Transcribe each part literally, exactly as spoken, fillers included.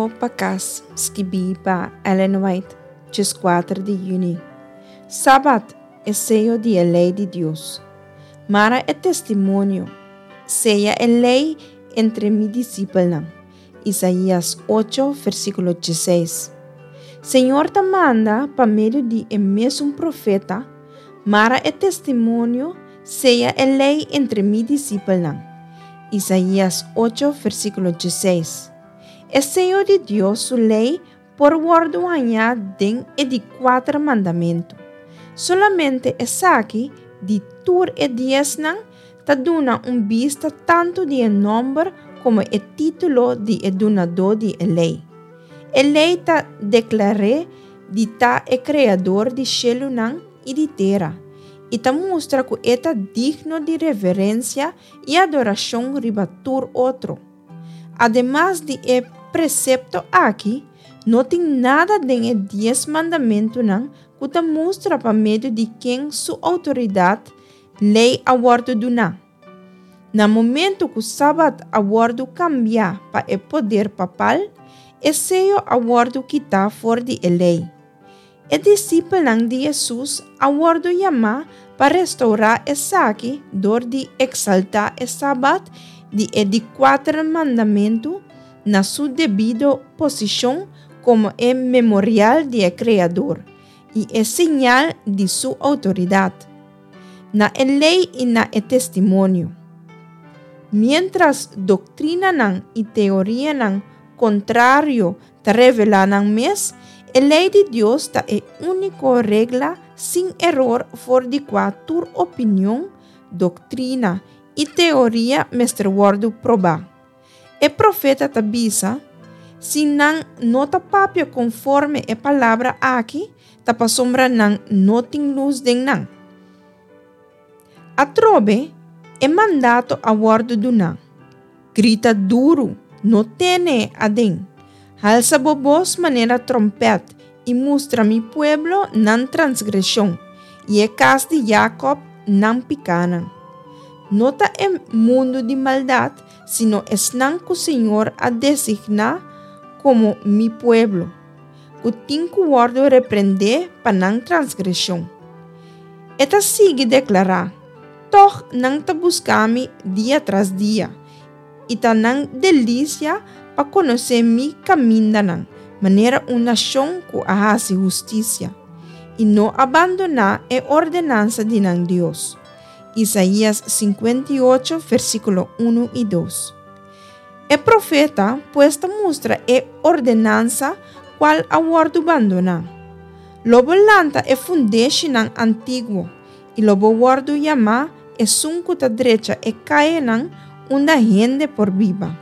Rumbo pa Kas, skibí pa Ellen White, dieskuater di yüni. Sabat, e seyo di e lei di Dios. Mara e testimonio, seya e lei entre mi disipelnan. Isaías ocho, versíkulo diesseis. Señor ta manda pa medio di e mesun profeta, Mara e testimonio, seya e lei entre mi disipelnan. Isaías ocho, versíkulo diesseis. E seyo di Dios su lei por wòrdu hañá den e di kuater mandamentu. Solamente esaki, di tur e diesnan, ta duna un bista tantu di e nòmber komo e título di e dunadó di e lei. E lei ta deklar'é di ta e Kreador di shelunan i di tera, i ta mustra ku e ta digno di reverensia i adorashon riba tur otro. Ademas di e presepto aki, no tin nada den e Dies Mandamentunan ku ta mustra pa medio di ken su outoridat lei a wòrdu duná. Na momento ku Sabat a wòrdu kambiá pa e poder papal, e seyo a wòrdu kitá for di e lei. E disipelnan di Hesus a wòrdu yamá pa restourá esaki dor di eksaltá e Sabat di e di kuater mandamentu na su debido posishon komo e memorial di e Kreador i e señal di su outoridat, na e lei i na e testimonio. Miéntras doktrinanan i teorianan kontrario ta revelá nan mes, e lei di Dios ta e úniko regla sin eror for di kua tur opinion, doktrina i teoria mester wòrdu probá. E profeta ta bisa, Si nan no ta papia konforme e palabra aki, ta pasobra nan no tin lus den nan. Atrobe, e mandato a wòrdu duná, Grita duru, no tene aden. Halsa bo bos manera tròmpèt i mustra mi pueblo nan transgreshon i e kas di Jakòb nan pikánan. No ta e mundu di maldat, sino esnan ku Señor a designá komo mi pueblo, ku tin ku wòrdu reprendé pa nan transgreshon. E ta sigui deklará, Tòg nan ta buska mi dia tras dia, i ta nan delisia pa konosé mi kamindanan, manera un nashon ku a hasi hustisia, i no a bandoná e ordenansa di nan Dios. Isaías sinkuenta i ocho, versíkulo unu i dos. E profeta pues ta mustra e ordenansa kual a wòrdu bandoná. Lo bo lanta e fundeshinan antiguo, i lo bo wòrdu yamá esun ku ta drecha e kayanan unda hende por biba.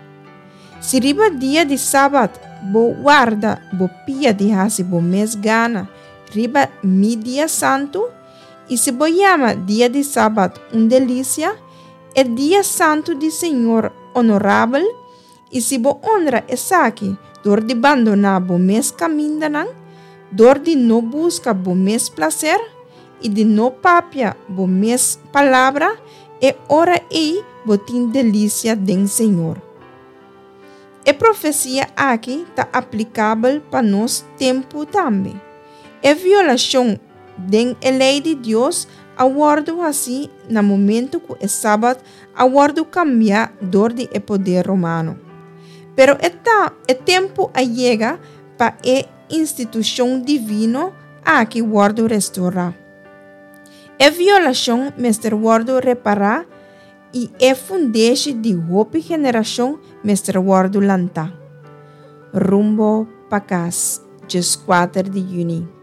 Si riba dia di sabat bo warda bo pia di hasi bo mes gana riba mi dia santu, i si bo yama dia di sabat un delisia, e dia santu di Señor onorabel, i si bo onra esaki dor di bandoná bo mes kamindanan, dor di no buska bo mes plaser i di no papia bo mes palabra, e ora ei bo tin delisia den Señor. E profesia aki ta aplikabel pa nos tempu tambe. E violashon den e lei di Dios a wòrdu hasí na momentu ku e Sabat a wòrdu kambiá dor di e poder romano. Pero e ta e tempu a yega pa e institushon divino aki wòrdu restourá. E violashon mester wòrdu repará i e fundeshi di hopi generashon mester wòrdu lantá. Rumbo pa Kas, dieskuater di yüni.